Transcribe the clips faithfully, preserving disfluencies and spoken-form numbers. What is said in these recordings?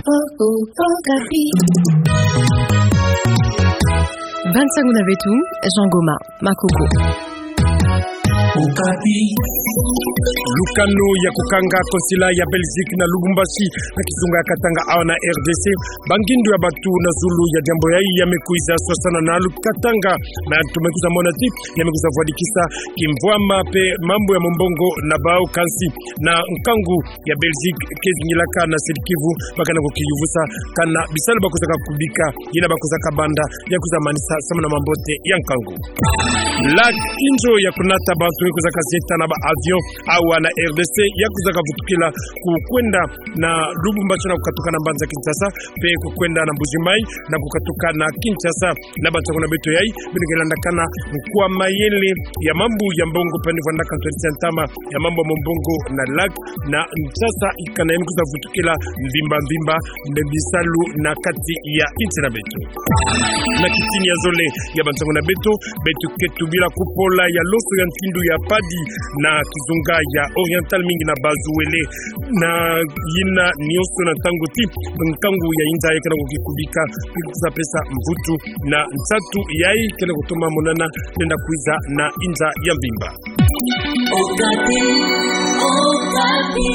Okapi. Bansangu na beto, Jean Goma, Makoko. Okapi. Lukanu ya kukanga consulat ya Belgique na Lubumbashi, na kizunga ya Katanga awa na R D C. Bangindu ya bantu na zulu ya diambu yayi ya mekwiza swasana na lukatanga. Bantu mekwiza mona ti ya mekwiza vwadikisa kimvwama pe mambu ya mombongo na bau, kansi na nkangu ya Belgique ke zingilaka na Sud-Kivu, bakana kukiyuvusa kana bisalu bakwizaka kubika, yina bakwizaka banda, ya kwiza manisa samu na mambote ya nkangu. Lac, inzo ya kunata bantu, kwizaka zieta na ba avion awa na R D C, ya kwizaka vutukila kukwenda na Lubumbashi na kukatuka na mbanza Kinshasa, pe kukwenda na Mbuji-Mayi na kukatuka na Kinshasa. Na bansangu na beto yayi, bino ke landakana nkwa mayele ya mambu ya mbongo, pandi vwandaka ntwadisi ya ntama ya mambu ya mombongo na Lac na Kinshasa, ikana yina kwiza vutukila mvimba mvimba na bisalu na kati ya insi na beto. Na kitini ya zole ya bansangu na beto, beto ke tubila kupola ya loso ya ntindu ya padi na kizunga ya Oriental, mingi na Bas-Uele. Na yina nyonso na ntangu ti nkangu ya inza yayi kena kukikubika, kwiza pesa mvutu na nsatu yayi kena kutoma monana, lenda kwiza na inza ya mvimba. Okapi, Okapi.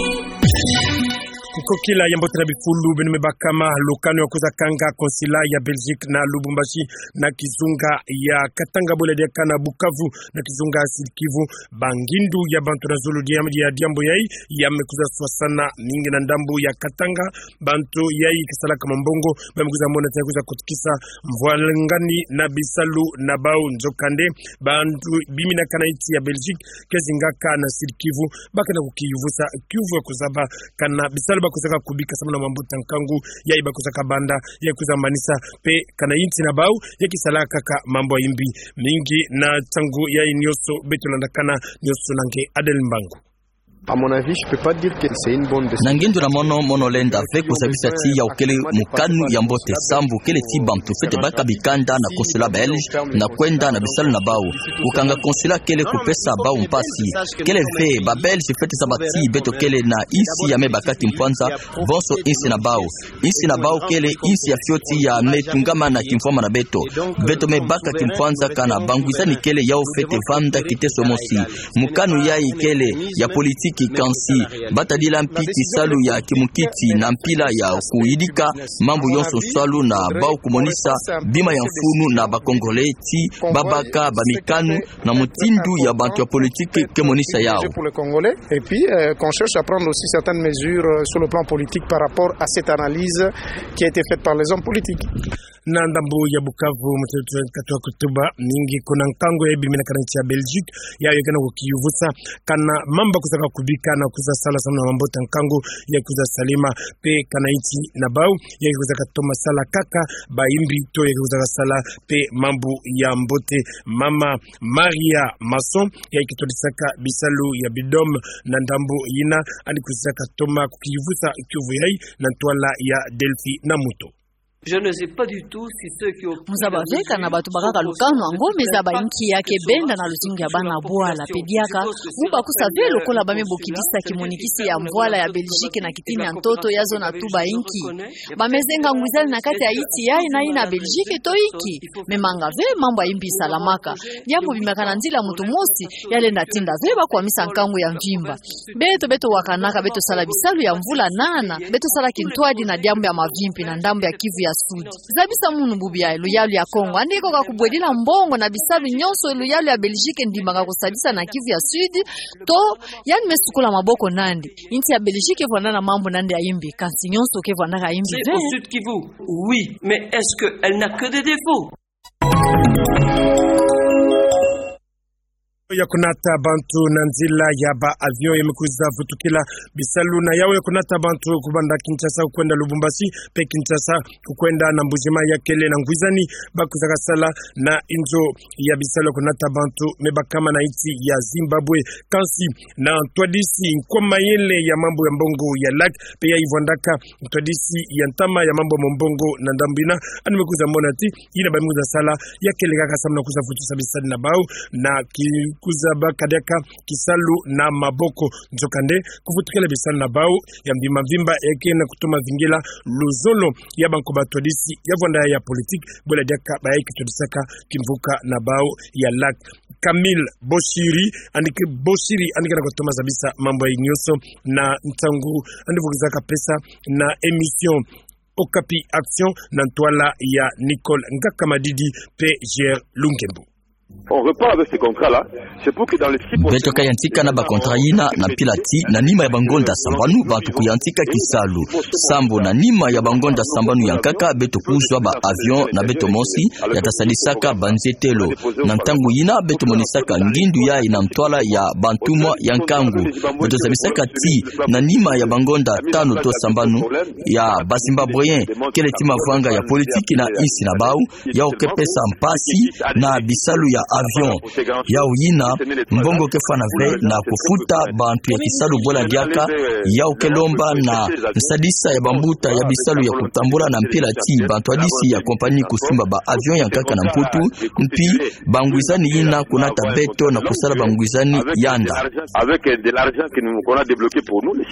Kukokila ya mbote na bifulu, beno mebakama, lukanu ya kwiza kanga consulat ya Belgique na Lubumbashi, na kizunga ya Katanga bole diaka na Bukavu, na kizunga ya Sud-Kivu, bangindu ya bantu na zulu dia, ya diambu yayi ya mekwiza swasana, mingi na ndambu ya Katanga. Bantu yayi ke salaka mombongo, ba mekwiza mona ti ya kwiza kutukisa mvwalangani na bisalu na bau. Nzokande, bantu biminaka na insi ya Belgique ke zingaka na Sud-Kivu, bakana kukiyuvusa kiuvu ya kuzaba kana bisalu bakwizaka kubika samu na mambote ya nkangu yayi bakwizaka banda, ya kwiza manisa, pe kana insi na bau ya ke salaka kaka mambu ya imbi. Mingi na nsangu yayi nyonso, beto landakana nyonso na nge Adèle Mbangu. À mon avis, je peux pas dire que c'est une bonne décision. Na ngindu na mono, mono lenda ve kuzabisa ti yawu kele mokanu ya mbote, sambu kele ti bantu fwete baka bikanda na consulat belge na kwenda na bisalu na bau. Kukanga consulat kele kupesa bau mpasi. Kele ve, ba Belge fwete zaba ti beto kele na insi ya mebaka kimpwanza bonso insi na bau. Insi na bau kele insi ya fioti ya metungama na kimvwama na beto. Beto mebaka kimpwanza kana bangwizani kele yawu fwete vanda kiteso mosi. Mokanu yayi kele ya politiki, kansi batadila mpi kisalu ya kimokiti na mpila ya kuyidika mambu yonso nswalu na bau kumonisa bima ya mfunu na ba Congolais ti babaka bamikanu na mutindu ya bantu ya politiki ke monisa yawu. Pour les Congolais. Et puis, euh, qu'on cherche à prendre aussi certaines mesures, euh, sur le plan politique par rapport à cette analyse qui a été faite par les hommes politiques. Na ndambu ya Bukavu, mutu katuba kutuba mingi kuna nkangu yayi biminaka na insi ya Belgique, yawu ya kena kukiyuvusa kana mambu bakwizaka kubika na kwiza sala samu na mambote ya nkangu ya kwiza salama, pe kana insi na bau ya kwizaka toma sala kaka ba imbi, to ya kwizaka sala pe mambu ya mbote. Mama Maria Masson, yayi ke twadisaka bisalu ya BIDOM na ndambu yina, yandi kwizaka toma kukiyuvusa kiuvu yayi na ntwala ya Delphi Namuto. Je ne sais pas du tout si ceux qui ont pris la mesure... Mu zaba ve kana bantu bakaka lukanu yango me zaba inki ya ke benda na luzingu ya bana bwala, pe diaka mu bakusa ve lokola ba me bokidisa kimonikisi ya mvwala ya Belgique na kitini ya ntoto, ya zona tuba inki ba me zenga ngwizani na kati ya insi yayi na yina Belgique to inki. Me manga ve mambu ya imbi salamaka. Diambu bimaka na nzila mutu mosi, ya lenda tinda ve ba kwamisa nkangu ya mvimba. Beto, beto wakanaka, beto sala bisalu ya mvula nana, beto sala kintwadi na diambu ya mavi mpi na ndambu ya Kivu ya Sud. Zabisa munu bubu ya luyalu ya Kongo, yandi ke koka kubwedila mbongo na bisalu nyonso luyalu ya Belgique ndimaka kusadisa na Kivu ya Sud, to yandi me sukula maboko na yandi. Insi ya Belgique ke vwanda na mambu na yandi ya imbi, kansi nyonso ke vwandaka imbi ve. Au Sud Kivu, oui, mais est-ce qu'elle n'a que des défauts ? Ya kunata bantu na nzila ya ba avion ya me kwiza vutukila bisalu na yawu ya kunata bantu kubanda Kinshasa kwenda Lubumbashi, pe Kinshasa kwenda na Mbuji-Mayi ya kele na ngwizani bakwizaka sala na inzo ya bisalu ya kunata bantu me bakama na insi ya Zimbabwe. Kansi na ntwadisi nkwa mayele ya mambu ya mbongo ya Lac, pe yayi vwandaka ntwadisi ya ntama ya mambu ya mombongo na ndambu yina, yandi me kwiza mona ti yina ba me kwiza sala ya kele kaka samu na kwiza vutusa bisalu na bau na ki kuzaba kadiaka kisalu na maboko. Nzokande, kufutukila bisalu na bau ya mvimba mvimba, ya ke na kutoma vingila luzolo ya banko batwadisi ya vwanda ya politique, bwela diaka bayi kitwadisaka kimvuka na bau ya LAC. Camille Boshiri, yandi ke Boshiri, yandi ke na kutoma zabisa mambu yayi nyonso na ntangu yandi vukizaka pesa na émission Okapi Action na ntwala ya Nicole Ngaka Madidi pe Ger Lungembu. On repart avec ces contrats-là, c'est pour que dans les six prochains mois... Beto kayantika na ba contrat yina na mpila ti na nima ya bangonda sambanu, bantu kuyantika kisalu. Sambu na nima ya bangonda sambanu ya nkaka, beto kuzwa ba avion na beto mosi, ya ta sadisaka banzetelo. Na ntangu yina, beto monisaka ngindu yayi na ntwala ya bantumwa ya nkangu. Beto zabisaka ti na nima ya bangonda tanu to sambanu ya ba Zimbabwéens, kele ti mavanga ya politique na insi na bau, yau ke pesa mpasi na bisalu ya avion. Yau yina, mbongo ke fwana ve na kufuta bantu ya kisalu, bwela diaka yau ke lomba na nsadisa ya bambuta ya bisalu ya kutambula na mpila ti bantu yadisi ya compagnie kusumba ba avion ya nkaka na Mputu, mpi bangwizani yina kunata beto na kusala bangwizani yanda. Avec, euh, de l'argent que nous, qu'on a débloqué pour nous, les...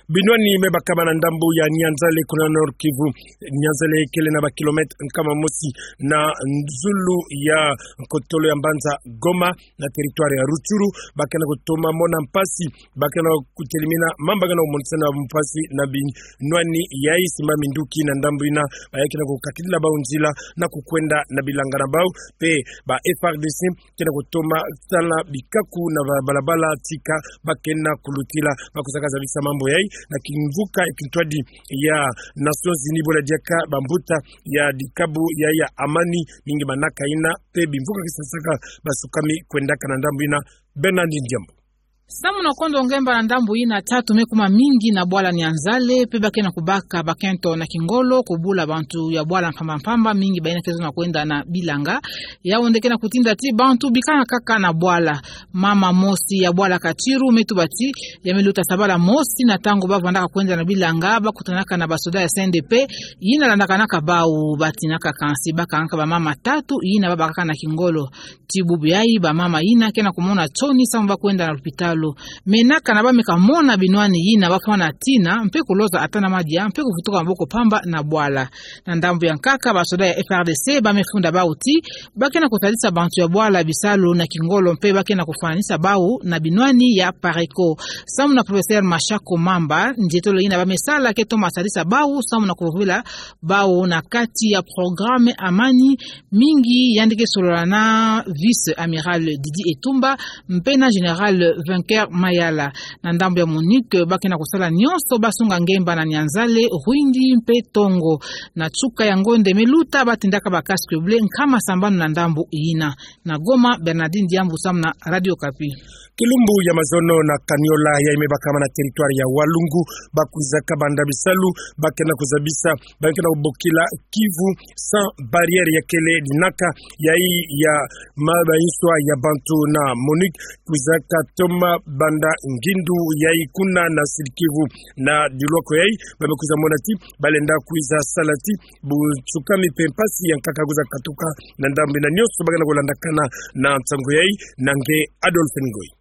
Binwani me bakama na ndambu ya Nyanzale kuna Nord-Kivu. Nyanzale kele na ba kilomètre nkama mosi na zulu ya nkotolo ya mbanza Goma, na territoire ya Rutshuru. Ba ke na kutoma mona mpasi, ba ke na kutelimina mambu ke na kumonisana mpasi na binwani yayi. Simba minduki na ndambu yina, bayi ke na kukakidila bau nzila na kukwenda na bilanga na bau, pe ba F R D C ke na kutoma sala bikaku na ba-, balabala tika ba ke na kulutila. Ba kuzaka zabisa mambu yayi na kimvuka ya kintwadi ya Nations Unies, bwela diaka bambuta ya dikabu ya, ya amani, mingi manaka yina pe bimvuka ke sasaka basukami kwendaka na ndambu yina. Bernardine Diambu. Samu na kondo ngemba na ndambu yina, tatu me kuma mingi na bwala Nyanzale, pe ba ke na kubaka bakento na kingolo, kubula bantu ya bwala mpamba mpamba, mingi bayina ke zola na kwenda na bilanga. Yau nde ke na kutinda ti bantu bikana kaka na bwala. Mama mosi ya bwala Katiru me tuba ti ya me luta sabala mosi na ntangu ba vwandaka kwenda na bilanga, ba kutanaka na basoda ya C N D P yina landakanaka bau. Ba tinaka kansi ba kangaka bamama tatu yina ba bakaka na kingolo. Ti bubu yayi, bamama yina ke na kumona nsoni samu ba kwenda na lupitalu. Menaka na ba me kamona binwani yina, ba fwana tina mpe kuloza ata na madia mpe kuvutuka maboko mpamba na bwala. Na ndambu ya nkaka, basoda ya F R D C ba me funda bau ti ba ke na kutadisa bantu ya bwala bisalu na kingolo mpe ba ke na kufwananisa bau na binwani ya Pareco. Samu na professeur Mashako Mamba, nzietolo yina ba me sala ke toma sadisa bau samu na kuvovila bau na kati ya programme Amani, mingi yandi ke solola na vice-amiral Didi Etumba mpe na général Vainqueur Mayala. Na ndambu ya MONUC, ba ke na kusala nyonso ba sunga ngemba na Nyanzale, Rwindi mpe Tongo. Na nsuka ya ngonde me luta, ba tindaka ba casque bleu nkama sambanu na ndambu yina. Na Goma, Bernardine Diambu samu na Radio Okapi. Kilumbu ya mazono na Kaniola, yayi me bakama na territoire ya Walungu, ba kwizaka banda bisalu, ba ke na kuzabisa ba ke na kubokila Kivu sans barrière ya kele dinaka, yayi ya ma-, bayinswa ya bantu na MONUC kwizaka toma banda ngindu yayi kuna na Sud-Kivu. Na dilwako yayi, ba me kwiza mona ti ba lenda kwiza sala ti bunsukami mpe mpasi ya nkaka kwiza katuka na ndambu yina. Nyonso ba ke na kulandakana na nsangu yayi na nge Adolphe Ngoyi.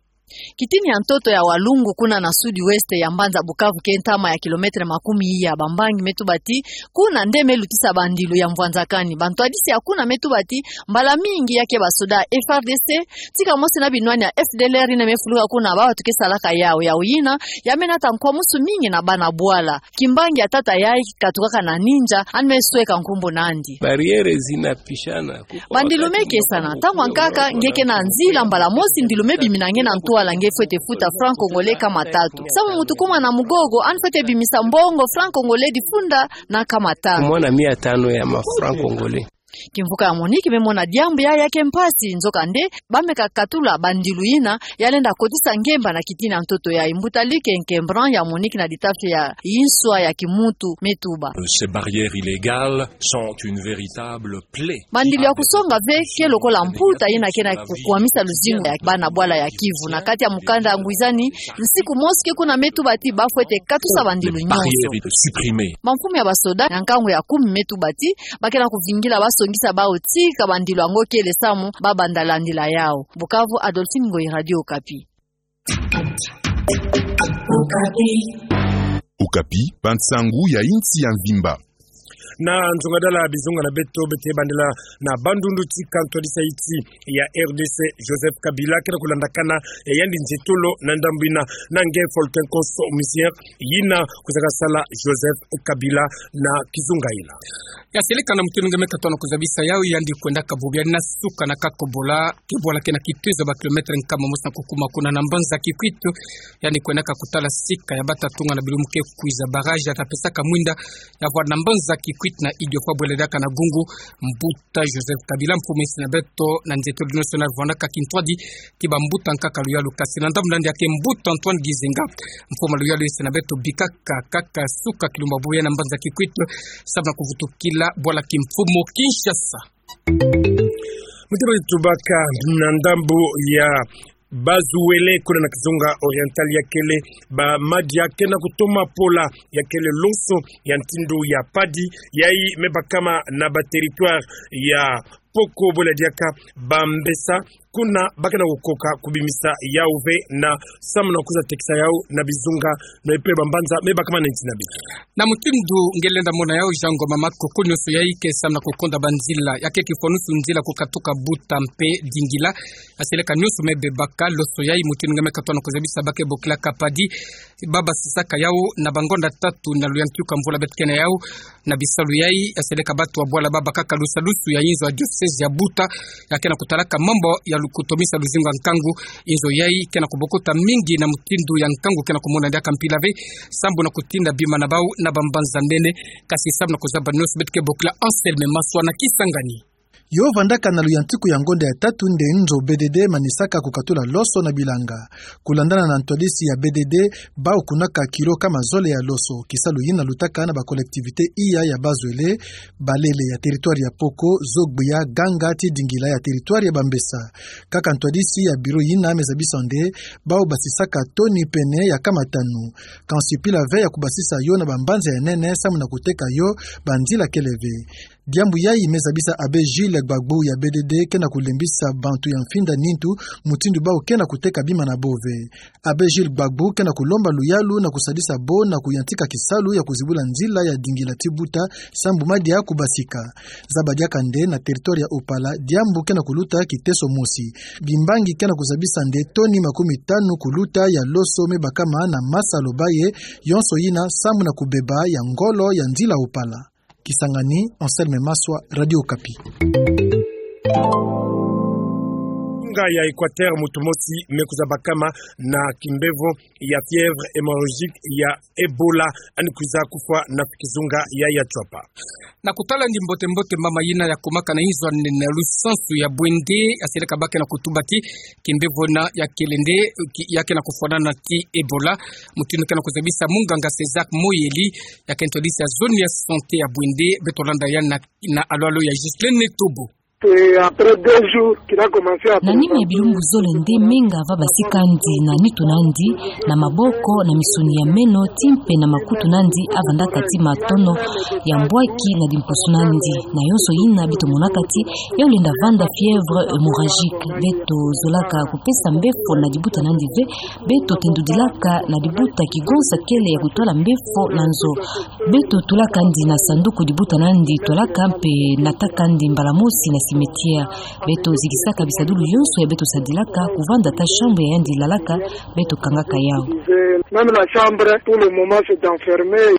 Kitini ya ntoto ya Walungu kuna na sud-ouest ya mbanza Bukavu, ke ntama ya kilomètre makumi iya. Bambangi me tuba ti kuna nde me lutisa bandilu ya mvwanzakani. Bantwadisi ya kuna me tuba ti mbala mingi ya ke basoda F R D C tika mosi na binwani ya F D L R yina me fuluka kuna, ba batu ke salaka yau, yau yina ya me nata nkwamousu mingi na bana bwala. Kimbangi ya tata yayi katukaka na ninja, yandi me sweka nkumbu nandi. Barrière zinapishana. Bandilu me kesana. Ntangu ya nkaka, nge ke na nzila, mbala mosi ndilu me bimina nge na ntwala, nge fwete futa franc congolais nkama tatu. Samu mutu kuma na mugogo, yandi fwete bimisa mbongo franc congolais difunda na nkama tanu. Kumona mia tano ya ma franc congolais. Kimvuka ya MONUC me mona diambu yayi ya ke mpasi, nzokande ba me kakatula bandilu yina ya lenda kotisa ngemba na kitini ya ntoto yayi. Mbuta Luc Inquebrandt ya MONUC na ditafi ya yinswa ya kimuntu me tuba: Ces barrières illégales sont une véritable plaie. Bandilu ya kusonga ve ke lokola mputa yina ke na kukwamisa luzingu ya bana bwala ya Kivu. Na kati ya mukanda ya ngwizani, nsiku mosi ke kuna me tuba ti ba fwete katusa bandilu nyonso. Barrières supprimées. Bamfumu ya basoda ya nkangu ya kumi me tuba ti ba ke na kuvingila baso tongisa bawu tii ka bandilu yango kele samu ba banda landila yawu. Bukavu, Adolphine Ngoyi, Radio Okapi. Okapi, bansangu ya insi ya mvimba. Na nzongadala bizunga na beto, beto bandela na Bandundu tika ntwadisi ya insi ya R D C, Joseph Kabila, kena kulandakana ya yandi nzietolo na ndambu yina na nge Faustin Konso, musicien yina kwiza kasala Joseph Kabila na kizunga yina. Yaseleka na mutindu nge me katona kuzabisa yawu, yandi kwendaka bubu ya nasuka na Kakobola, ke bwala kena kituizo ba kilomètre nkama mosi na kukuma kuna na mbanza Kikwit. Yandi kwendaka kutala sika ya bata tunga na bilumu ke kwiza, barrage, ya ta pesaka mwinda ya vwanda mbanza Kikwit na Idiofa, bwele diaka na Gungu. Mbuta Joseph Kabila, mfumu ya insi na beto, na nzietolo nyonso yina vwandaka kintwadi ti bambuta nkaka luyalu. Kasi na ndambu na yandi ya ke, mbuta Antoine Gizenga, mfumu luyalu ya insi na beto, bikaka kaka suka kilumbu bubu ya na mbanza Kikwit samu na kuvutukila bwala kimfumu Kinshasa. Mutindu tubaka na ndambu ya Bas-Uele, kuna na kizunga oriental, ya kele ba madia kena kutoma pola, ya kele lonso ya ntindu ya padi, yayi me bakama na ba territoire ya Poko, bwele diaka Bambesa, kuna ba kena kukoka kubimisa yawu ve na samu na kwiza tekisa yawu na bizunga, na mpe bambanza me bakama na nsi na beto. Na mutindu nge lenda mona yawu, Jean Ngoma Makoko, nyonso yayi ke samu na kukonda banzila, ya ke kifwanusu nzila kukatuka Buta mpe Dingila. Yaseleka nyonso me bebaka, lonso yayi mutindu nge me katona kuzabisa ba ke bokilaka padi, ba basisaka yawu na bangonda tatu na luyantiku ya mvula beto ke na yawu. Na bisalu yayi, yaseleka batu ya bwala ba bakaka lusalusu ya inzo ya diocèse ya Buta, ya kena kutalaka mambu ya lu-, kutomisa luzingu ya nkangu. Inzo yayi kena kubokota mingi na mutindu ya nkangu kena kumona diaka mpila ve, sambu na kutinda bima na bawu na bambanza nene. Kasi samu na kuzaba nyonso, beto ke bokila Anselme Maswa na Kisangani. Yo vandaka na luyantiku ya ngonda ya tatu nde nzo B D D manisaka kukatula lonso na bilanga. Kulandana na ntwadisi ya B D D, bawu kunaka kilo kama zole ya lonso. Kisalu yina lutaka na ba collectivités iya ya Bas-Uele, Balele ya territoire ya Poko, Zogbia, Ganga ti Dingila ya territoire ya Bambesa. Kaka ntwadisi ya bureau yina me zabisa nde bawu basisaka toni pene ya kama tanu. Kansi mpila ve ya kubasisa yo na bambanza ya nene samu na kuteka yo, banzila kele ve. Diambu yayi me zabisa Abbé Gilles Gbagbo ya B D D kena kulembisa bantu ya mfinda nintu mutindu bawu kena kuteka bima na bo ve. Abbé Gilles Gbagbo kena kulomba luyalu na kusadisa bo na kuyantika kisalu ya kuzibula nzila ya Dingila ti Buta, sambu madia kubasika. Zaba diaka nde na territoire ya Opala, diambu kena kuluta kiteso mosi. Bimbangi kena kuzabisa nde toni makumi tanu kuluta ya lonso me bakama na Masa Lobaye, yonso yina sambu na kubeba ya ngolo ya nzila Opala. Kisangani, Anselme Maswa, Radio Okapi. Nga ya Équateur, muntu mosi me kwiza bakama na kimbevo ya fièvre hémorragique ya Ebola, yandi kwiza kufwa na kizunga ya Yatswapa. Na kutala ndi mbote mbote, mama yina ya kumaka na inzo ya nene ya lusansu ya Bouendé, yaseleka ba kena kutuba ti kimbevo yina ya kele nde, ki-, ya kena kufwanana ti Ebola. Mutindu kena kuzabisa munganga César Moyeli, ya ke ntwadisi ya zone ya santé ya Bouendé, beto landa yandi na, na alo alo ya Ghislaine Tobo. Et après deux jours, qu'il a commencé à... Na nima ya bilumbu zole nde menga va basika ndi na nitu na ndi, na maboko, na misuni ya meno, ti mpe na makutu na ndi, avandaka ti matono ya mbwaki na dimposo na ndi. Na yonso yina beto monaka ti yawu lenda vanda fièvre hémorragique. Beto zolaka kupesa mbefo na dibuta na ndi ve, beto tendudilaka na dibuta kigonsa kele ya kutwala mbefo na nzo. Beto tulaka ndi na sanduku dibuta na ndi twalaka mpe nataka ndi mbala mosi na cimetière. Beto zikisaka bisadulu yonso ya beto sadilaka, kuvanda ata chambre ya yandi lalaka, beto kangaka yawu. Même la chambre, pour le moment, c'est enfermé.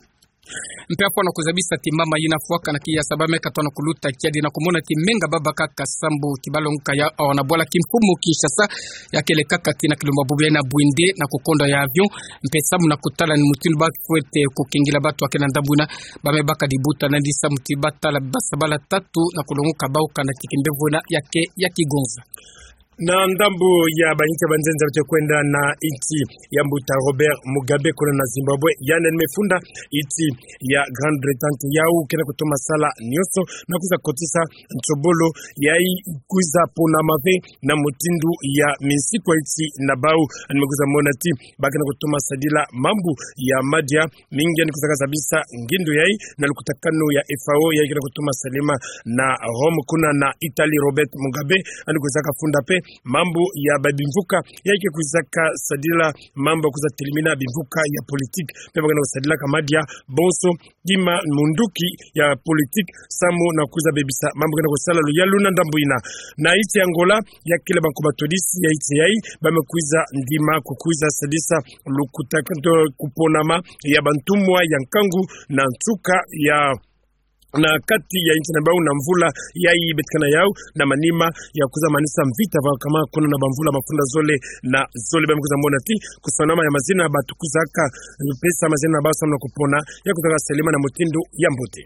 Mpe afwa na kuzabisa ti mama yina fwaka na kiyasa ba me katona kuluta kiadi na kumona ti menga ba bakaka sambu ti balongoka yawu na bwala kimfumu Kinshasa, ya kele kaka kina kilumbu bubu ya na Bouendé na kukonda ya avion, mpe sambu na kutala ni mutindu ba fwete kukengila batu ya ke na ndambu yina, ba me baka dibuta na ndi sambu ti batala basabala tatu na kulongoka bawu kana ti kimbevo yina ya ke ya kigonza. Na ndambu ya bainsi ya banzenza beto kwenda na insi ya mbuta Robert Mugabe kuna na Zimbabwe, yandi ni me funda insi ya Grande-Bretagne, yau kena kutoma sala nyonso na kwiza kotisa nsobolo yayi kwiza ponama ve na mutindu ya minsiku ya insi na bau. Yandi me kwiza mona ti ba kena kutoma sadila mambu ya madia mingi, yandi kwizaka zabisa ngindu yayi na lukutakanu ya F A O yayi kena kutoma salama na Rome kuna na Italie. Robert Mugabe yandi kwizaka funda mpe mambu ya babimvuka yayi ke kwizaka sadila mambu ya kwiza telimina bimvuka ya politique, mpe ba kena kusadilaka madia bonso kima munduki ya politique samu na kwiza bebisa mambu kena kusala luyalu. Na ndambu yina, na insi ya Angola, ya kele bankoba todisi ya insi yayi ba me kwiza ndima kukwiza sadisa lukutakanu, kuponama ya bantumwa ya nkangu na nsuka ya, na kati ya insi na bau na mvula yayi beto kena yau, na manima ya kwiza manisa mvita va kama kuna na bamvula mafunda zole na zole. Ba me kwiza mona ti kusonama ya mazina batu kwizaka pesa mazina na bau samu na kupona ya kwizaka salama na mutindu ya mbote.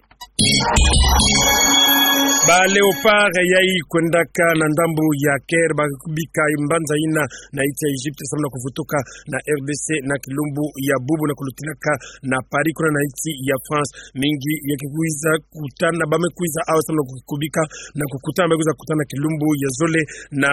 Ba Léopards yayi kwendaka na ndambu ya Caire ba bika mbanza yina na insi ya Egypte samu na kuvutuka na R D C na kilumbu ya bubu na kulutilaka na Paris kuna na insi ya France. Mingi ya ke kwiza kutana, ba me kwiza awa samu na kukubika na kukutana, ba kwiza kutana kilumbu ya zole na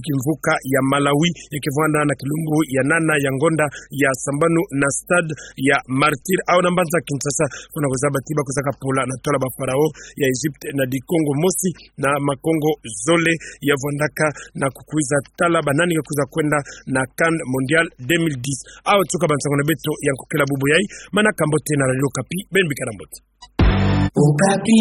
kimvuka ya Malawi, ya ke vwanda na kilumbu ya nana ya ngonda ya sambanu na Stade ya Martyrs. Awa na mbanza Kinshasa, kuna kuzaba ti ba kwizaka pola na twala ba Pharaon ya Egypte na dikongo mosi na makongo zole ya vwandaka na kukwiza tala ba nani ke kwiza kwenda na CAN Mondial deux mille dix. Awa tuka bansango na beto ya nkokela bubu yayi, manaka mbote na Radio Okapi, beno bikana mbote. Okapi.